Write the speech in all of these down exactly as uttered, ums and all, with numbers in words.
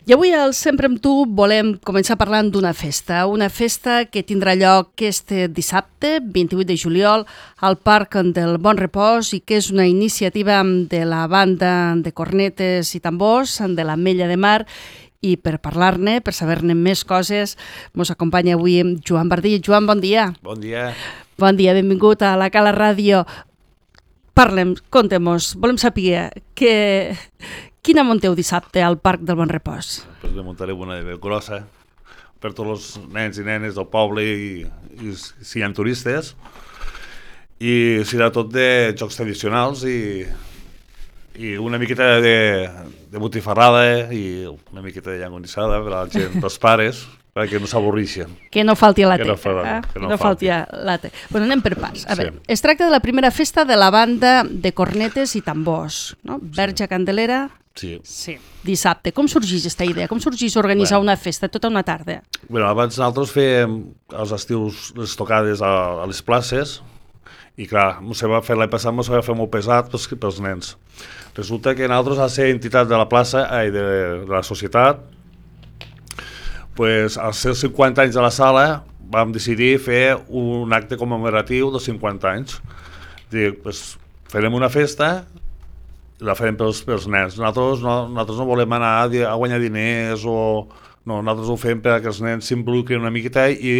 I avui al Sempre amb tu volem començar parlant d'una festa, una festa que tindrà lloc este dissabte, vint-i-vuit de juliol, al Parc del Bon Repòs i que és una iniciativa de la banda de cornetes i tambors de l'Ametlla de Mar. I per parlar-ne, per saber-ne més coses, ens acompanya avui Joan Bardí. Joan, bon dia. Bon dia. Bon dia, benvingut a la Cala Ràdio. Parlem, contem-nos, volem saber que... quina munteu dissabte al Parc del Bon Repòs? Pues ne muntarem una de grossa per tots els nens i nenes del poble i, i si hi ha turistes. I serà tot de jocs tradicionals i, i una miqueta de, de botifarrada i una miqueta de llangonissada per a la gent, pels pares, perquè no s'avorrixen. Que no falti la teca. Que no, fa, eh? que no, no falti la teca. Bueno, anem per pas. A sí. veure, es tracta de la primera festa de la banda de cornetes i tambors, no? Verge Candelera. Sí. Sí. Dissabte. Com sorgeix aquesta idea? Com sorgeix organitzar bueno. una festa tota una tarda? Bueno, abans nosaltres fèiem els estius les tocades a, a les places i clar, se va fer l'any passat, se va fer molt pesat pels, pels nens. Resulta que nosaltres, a ser entitat de la plaça, ai, de, de la societat, pues, als seus cinquanta anys de la sala vam decidir fer un acte commemoratiu dels cinquanta anys. Dic, pues, farem una festa i la farem pels, pels nens. Nosaltres no, nosaltres no volem anar a, a guanyar diners o... No, nosaltres ho fem perquè els nens s'involucrin una miqueta i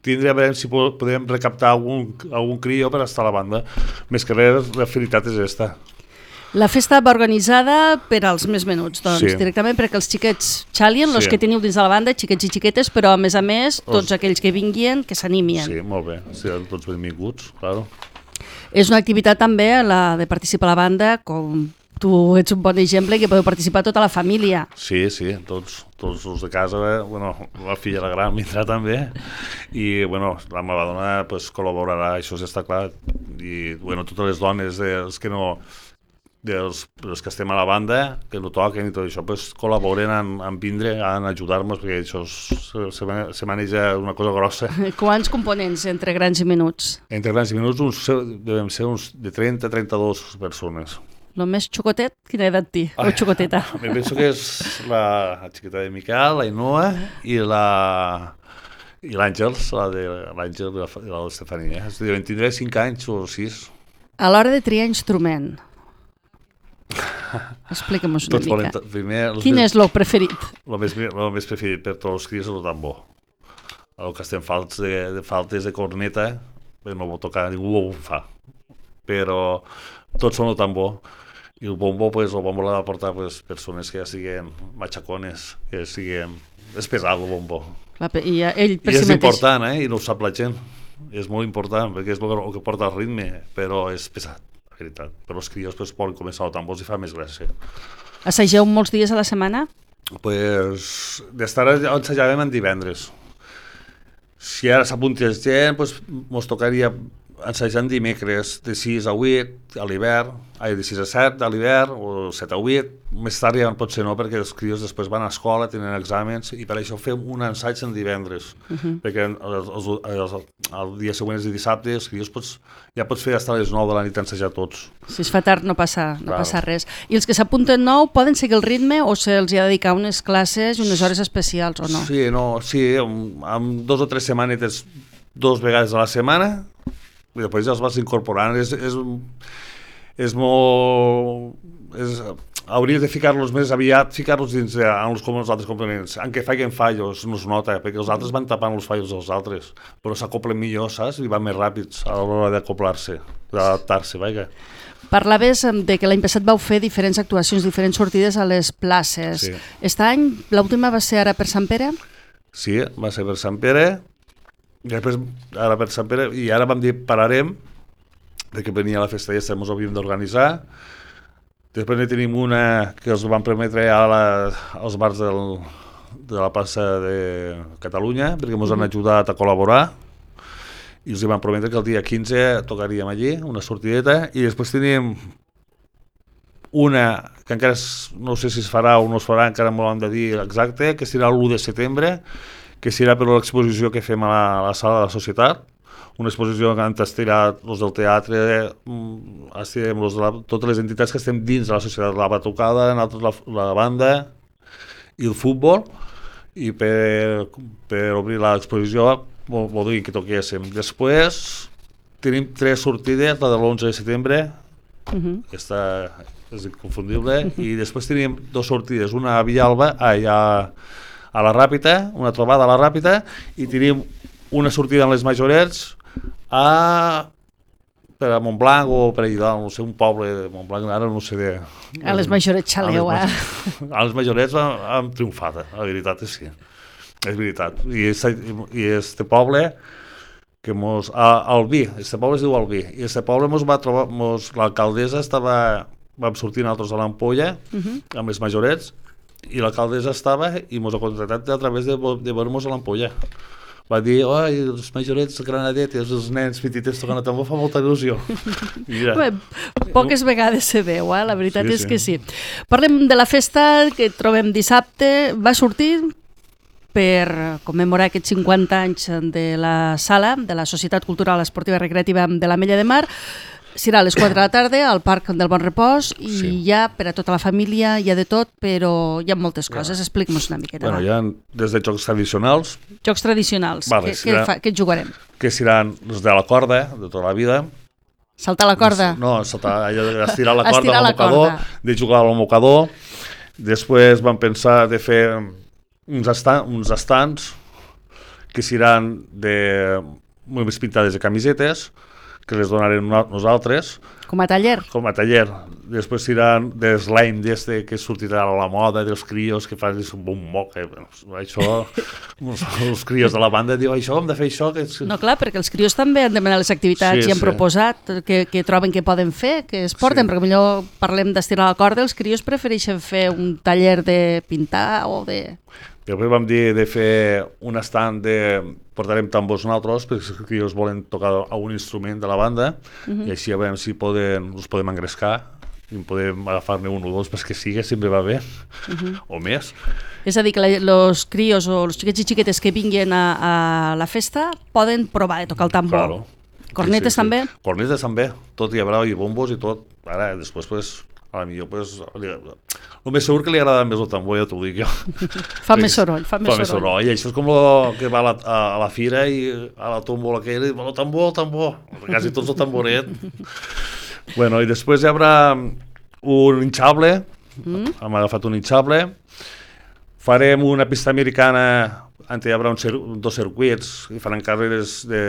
tindrem a veure si podem recaptar algun, algun crió per estar a la banda. Més que res, la finalitat és aquesta. La festa va organitzada per als més menuts, doncs, sí. directament perquè els xiquets xalien, els sí. que teniu dins de la banda, xiquets i xiquetes, però a més a més, tots els... aquells que vinguin, que s'animien. Sí, molt bé, seran tots benvinguts, claro. És una activitat també, la de participar a la banda, com tu ets un bon exemple, que podeu participar tota la família. Sí, sí, tots, tots els de casa, eh? Bueno, la filla la gran vindrà també, i bueno, la meva dona pues, col·laborarà, això ja està clar, i bueno, totes les dones dels que no... dels, dels que estem a la banda, que no toquen i tot això, pues, col·laboren en, en vindre, en ajudar-nos, perquè això se, se, se maneja una cosa grossa. Quants components entre grans i menuts? Entre grans i menuts uns, devem ser uns de trenta a trenta-dos persones. El més xocotet, quina edat té? O xocoteta? Me penso que és la xiqueta de Miquel, la Inoa i la... i l'Àngels, la de l'Àngel i la d'Estefania. Deuen tindre cinc anys o sis. A l'hora de triar instrument, explica'm-nos una Tots mica. Primer, Quin més, és el preferit? El més, el més preferit per tots els crios és el tambor. El que estem falts de, de faltes de corneta, no ho tocar, ningú ho fa. Però tots són el tambor. I el bombo, pues, el bombo l'ha de portar pues, persones que ja siguin machacones, que siguin... És pesat el bombo. La, I ell per I si és mateix. important, eh? I no ho sap la gent. És molt important, perquè és el que porta el ritme, però és pesat. Veritat. Però els crios pues, poden començar el tambor i fa més gràcia. Assageu molts dies a la setmana? Pues, d'estar ensajàvem en divendres. Si ara s'apuntés gent, pues, mos tocaria ensajant dimecres de sis a vuit a l'hivern, ai, de sis a set a l'hivern o set a vuit. Més tard ja potser no, perquè els crios després van a escola, tenen exàmens, i per això fem un ensaig en divendres. Uh -huh. Perquè els, els, els, el dia següent de dissabte els crios pots, ja pots fer fins a les nou de la nit ensajar tots. Si es fa tard no passa, no claro. passa res. I els que s'apunten nou poden seguir el ritme o se'ls ha de dedicar unes classes i unes hores especials o no? Sí, no, sí, amb, amb dos o tres setmanetes, dos vegades a la setmana, i després ja els vas incorporant. És, és, és molt... És, hauries de ficar-los més aviat, ficar-los dins de, en els, com els altres complements. En què facin fallos no es nota, perquè els altres van tapant els fallos dels altres, però s'acoplen millor, saps? I van més ràpids a l'hora d'acoplar-se, d'adaptar-se, vaja. Parlaves de que l'any passat vau fer diferents actuacions, diferents sortides a les places. Sí. Aquest any, l'última va ser ara per Sant Pere? Sí, va ser per Sant Pere, i després ara per Sant Pere, i ara vam dir pararem, perquè venia la festa i ja ens havíem d'organitzar. Després ne tenim una que els van permetre a la, als bars del, de la plaça de Catalunya, perquè ens han ajudat a col·laborar, i els van prometre que el dia quinze tocaríem allí, una sortideta, i després tenim una que encara és, no sé si es farà o no es farà, encara m'ho han de dir exacte, que serà l'u de setembre, que serà per l'exposició que fem a la, a la sala de la societat, una exposició que han estirat els del teatre, estirem los de la, totes les entitats que estem dins de la societat, la batucada, la, la banda, i el futbol, i per, per obrir l'exposició voldria que toquéssim. Després tenim tres sortides, la de l'onze de setembre, uh-huh. aquesta és inconfundible, i després tenim dues sortides, una a Villalba, allà a la Ràpita, una trobada a la Ràpita, i tenim una sortida en les Majorets a per a Montblanc o per allà, no sé, un poble de Montblanc, ara no sé de... A les Majorets xaleu, eh? A les Majorets hem triomfat, la veritat és sí. És veritat. I aquest poble, que mos... Albí, aquest poble es diu Albí, i aquest poble mos va trobar, mos, l'alcaldessa estava... Vam sortir nosaltres a l'Ampolla, uh-huh. amb les Majorets, i l'alcaldessa estava i mos ha contractat a través de, de veure-mos a l'Ampolla. Va dir, oi, els Majorets, granadetes, els nens petitets tocant a tambor, fa molta il·lusió. Bé, poques vegades se veu, eh? La veritat sí, és sí. que sí. Parlem de la festa que trobem dissabte. Va sortir per commemorar aquests cinquanta anys de la sala, de la Societat Cultural Esportiva Recreativa de l'Ametlla de Mar. Serà a les quatre de la tarda al Parc del Bon Repòs i sí. hi ha per a tota la família, hi ha de tot, però hi ha moltes coses. Ja. Explica-nos una miqueta. Bueno, hi ha des de jocs tradicionals. Jocs tradicionals. Vale, què, què, fa, què jugarem? Que seran els de la corda, de tota la vida. Saltar la corda? No, saltar, estirar la corda estirar amb el mocador, corda. De jugar al mocador. Després vam pensar de fer uns, estan, uns estants que seran de més pintades de camisetes, que les donarem nosaltres. Com a taller? Com a taller. Després seran de slime d'este que sortirà a la moda, dels crios que fan un moc. Eh? Això, els crios de la banda diuen això, hem de fer això. Que... No, clar, perquè els crios també han demanat les activitats sí, i han sí. proposat que, que troben que poden fer, que es porten, sí. perquè millor parlem d'estirar la corda, els crios prefereixen fer un taller de pintar o de... Després vam dir de fer un estand de... Portarem tambors nosaltres, perquè els crios volen tocar algun instrument de la banda, uh-huh. i així a veure si poden, els podem engrescar, i podem agafar-ne un o dos, perquè sigui, sempre va bé, uh-huh. o més. És a dir, que els crios o els xiquets i xiquetes que vinguin a, a la festa poden provar de tocar el tambor. Claro. Cornetes sí, sí, també? Sí. Cornetes també, tot hi haurà, i bombos i tot. Ara, després, pues, a la millor, pues, el més segur que li agrada més el tambor, ja t'ho dic jo. Fa més soroll, fa més fa soroll. Més soroll. I això és com el que va a la, a, a la fira i a la tómbola aquella, i diu, el tambor, el tambor, quasi tots el tamboret. Bueno, i després hi haurà un hinchable, mm. hem agafat un hinchable, farem una pista americana, on hi haurà un cir dos circuits, i faran carreres de,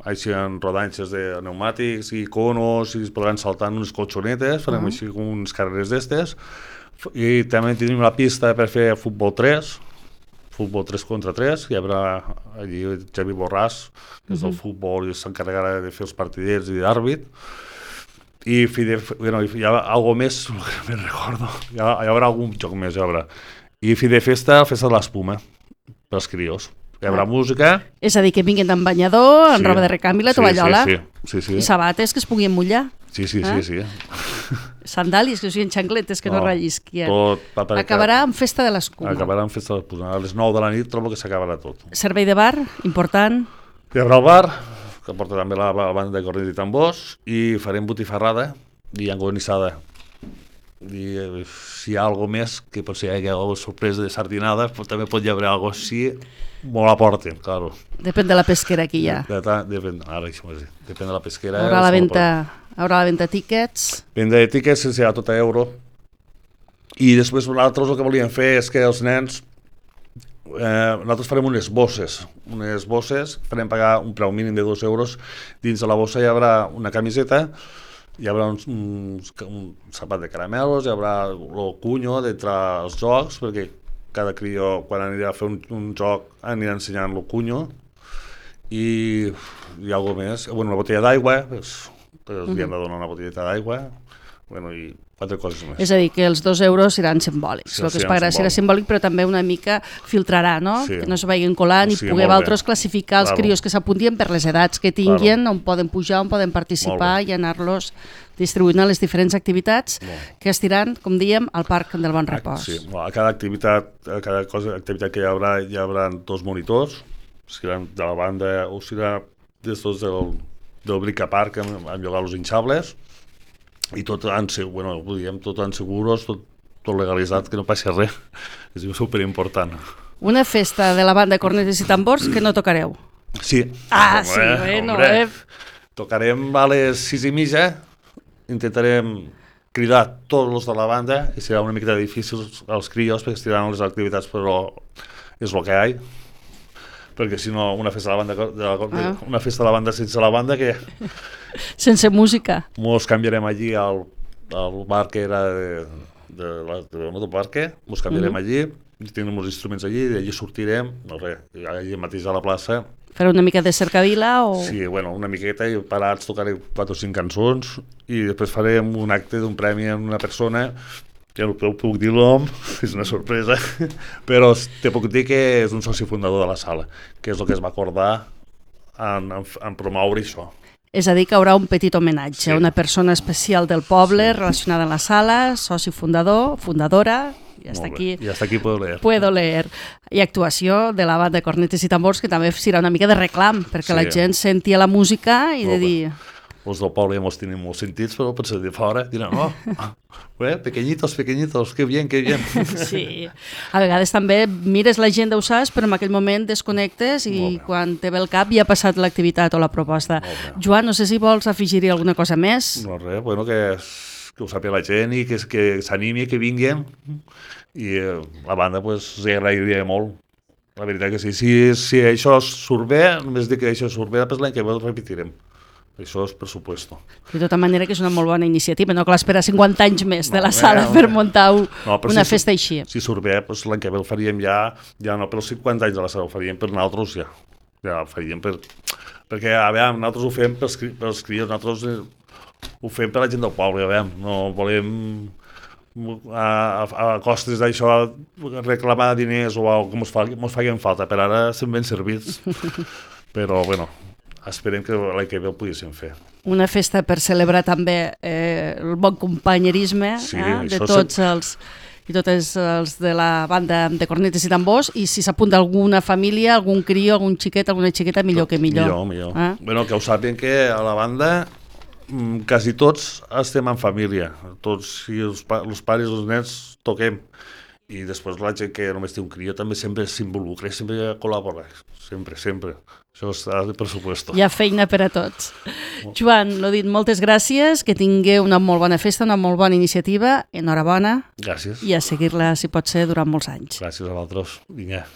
així en rodanxes de pneumàtics i conos, i es podran saltar en unes colxonetes, farem uh -huh. així com unes carreres d'estes, i també tenim la pista per fer futbol tres, futbol tres contra tres, hi haurà allí Xavi Borràs, que és del uh -huh. futbol i s'encarregarà de fer els partiders i d'àrbit, i de, bueno, hi ha algo més, me'n recordo, hi, ha, hi haurà algun joc més, hi haurà. I fi de festa, festa de l'espuma, pels crios. Hi haurà ah. música. És a dir, que vinguin amb banyador, amb sí. roba de recanvi, la tovallola, sí, sí, sí, sí. i sabates que es puguin mullar. Sí, sí, eh? sí, sí. Sandàlies, que siguin xancletes, que no, no rellisquien. Tot, acabarà amb festa de l'escuma. Acabarà amb festa de l'escuma. A les nou de la nit trobo que s'acabarà tot. Servei de bar, important. Hi haurà el bar, que porta també la, la banda de cornet i tambors, i farem botifarrada i angonissada. I si hi ha alguna més, que potser hi hagi alguna sorpresa de sardinada, però també pot hi haver alguna cosa així, molt a porten, claro. Depèn de la pesquera que hi ha. De, de, depèn, ara, depèn de la pesquera. Haurà la venda, haurà la venda tíquets. Venda de tíquets serà tot a euro. I després nosaltres el que volíem fer és que els nens, eh, nosaltres farem unes bosses, unes bosses, farem pagar un preu mínim de dos euros, dins de la bossa hi haurà una camiseta, hi haurà un, un, un sapat de caramelos, hi haurà el cunyo d'entre els jocs, perquè cada crió, quan anirà a fer un, un joc, anirà ensenyant el cunyo, i hi ha alguna més. Bueno, una botella d'aigua, pues, pues, uh -huh. li hem de donar una botelleta d'aigua, bueno, i quatre coses més. És a dir, que els dos euros seran simbòlics. Sí, el que es pagarà serà simbòlic, però també una mica filtrarà, no? Sí. Que no se vagin colant sí, i poder altres classificar els claro. crios que s'apuntien per les edats que tinguin, claro. on poden pujar, on poden participar i anar-los distribuint a les diferents activitats molt. Que es tiran, com diem, al Parc del Bon Repòs. Sí, a cada activitat, a cada cosa, activitat que hi haurà, hi haurà dos monitors, seran de la banda o serà d'estos del, del Brica Park amb, amb llogar els hinchables, i tot han, bueno, diguem, tot han seguros, tot tot legalitzat, que no passi res. És superimportant. Una festa de la banda Cornetes i Tambors que no tocareu. Sí. Ah, sí, bueno, eh? Tocarem a les sis i mitja, intentarem cridar tots els de la banda i serà una mica difícil als crios perquè estiran les activitats, però és el que hi ha. Perquè si no, una festa de la banda, de la, ah. una festa de la banda sense la banda, que... Sense música. Mos canviarem allí al, al bar que era de, de, la, de motoparque, mos canviarem uh -huh. allí, tenim els instruments allí, i allí sortirem, no res, allí mateix a la plaça. Fareu una mica de cercavila o...? Sí, bueno, una miqueta, i parats tocaré quatre o cinc cançons, i després farem un acte d'un premi a una persona, ja no puc dir l'nom, és una sorpresa, però te puc dir que és un soci fundador de la sala, que és el que es va acordar en, en, en promoure això. És a dir, que hi haurà un petit homenatge Sí. a una persona especial del poble sí. relacionada amb la sala, soci fundador, fundadora... I hasta aquí, I hasta aquí puedo leer. Puedo leer. I actuació de la banda Cornetes i Tambors, que també serà una mica de reclam, perquè sí. la gent sentia la música i de dir... Els del poble ja mos tenim molts sentits, però potser de fora diran, oh, eh, pequeñitos, pequeñitos, que bien, que bien. Sí. A vegades també mires l'agenda, ho saps, però en aquell moment desconnectes i quan te ve el cap ja ha passat l'activitat o la proposta. Joan, no sé si vols afegir-hi alguna cosa més. No, res, bueno, que... que ho sàpiga la gent i que, que s'animi, que vinguin, i eh, la banda pues, els agrairia molt. La veritat que sí, si, si això surt bé, només dic que això surt bé, després l'any que ve ho repetirem. Això és per supuesto. De tota manera que és una molt bona iniciativa, no cal esperar cinquanta anys més de la no, sala no, per muntar no, una si, festa així. Si surt bé, pues, l'any que ve el faríem ja, ja no pels cinquanta anys de la sala, ho faríem per nosaltres ja. Ja ho faríem per... Perquè, a veure, nosaltres ho fem pels, pels crios, nosaltres... Eh, ho fem per la gent del poble, ja veiem, no volem a, a, a costes d'això reclamar diners o alguna cosa que mos facin falta, per ara estem ben servits, però bueno, esperem que l'any que ve ho poguéssim fer. Una festa per celebrar també eh, el bon companyerisme sí, eh, de tots els i tots els de la banda de Cornetes i Tambors, i si s'apunta alguna família, algun crió, algun xiquet, alguna xiqueta, millor que millor. Millor, millor. Eh? Bueno, que ho sàpiguen que a la banda quasi tots estem en família, tots, i els, pa els pares i els nens toquem, i després la gent que només té un crió també sempre s'involucra, sempre col·labora, sempre, sempre. Això està de pressuposto. Hi ha feina per a tots. Joan, l'ho dit, moltes gràcies, que tingueu una molt bona festa, una molt bona iniciativa, enhorabona. Gràcies. I a seguir-la, si pot ser, durant molts anys. Gràcies a vosaltres. Vinga.